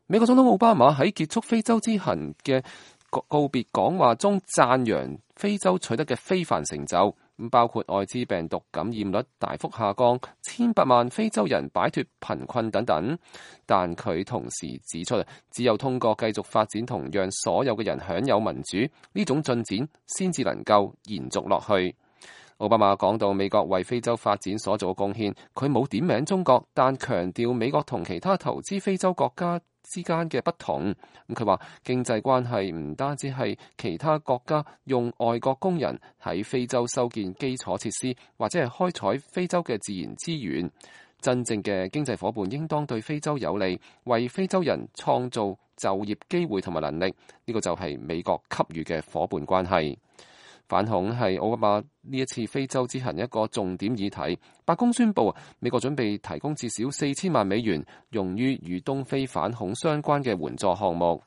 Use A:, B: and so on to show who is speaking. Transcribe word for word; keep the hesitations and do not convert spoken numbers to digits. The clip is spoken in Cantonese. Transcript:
A: 美國總統奧巴馬喺結束非洲之行嘅告別講話中讚揚非洲取得嘅非凡成就，包括艾滋病毒感染率大幅下降、千百萬非洲人擺脫貧困等等。但佢同時指出，只有通過繼續發展同讓所有嘅人享有民主，呢種進展先至能夠延續落去。奧巴馬講到美國為非洲發展所做嘅貢獻，佢冇點名中國，但強調美國同其他投資非洲國家之間嘅不同。咁佢話經濟關係唔單止係其他國家用外國工人喺非洲修建基礎設施，或者係開採非洲嘅自然資源。真正嘅經濟夥伴應當對非洲有利，為非洲人創造就業機會同埋能力。呢個就係美國給予嘅夥伴關係。反恐係奧巴馬呢一次非洲之行一個重點議題。白宮宣布，美國準備提供至少四千萬美元，用於與東非反恐相關嘅援助項目。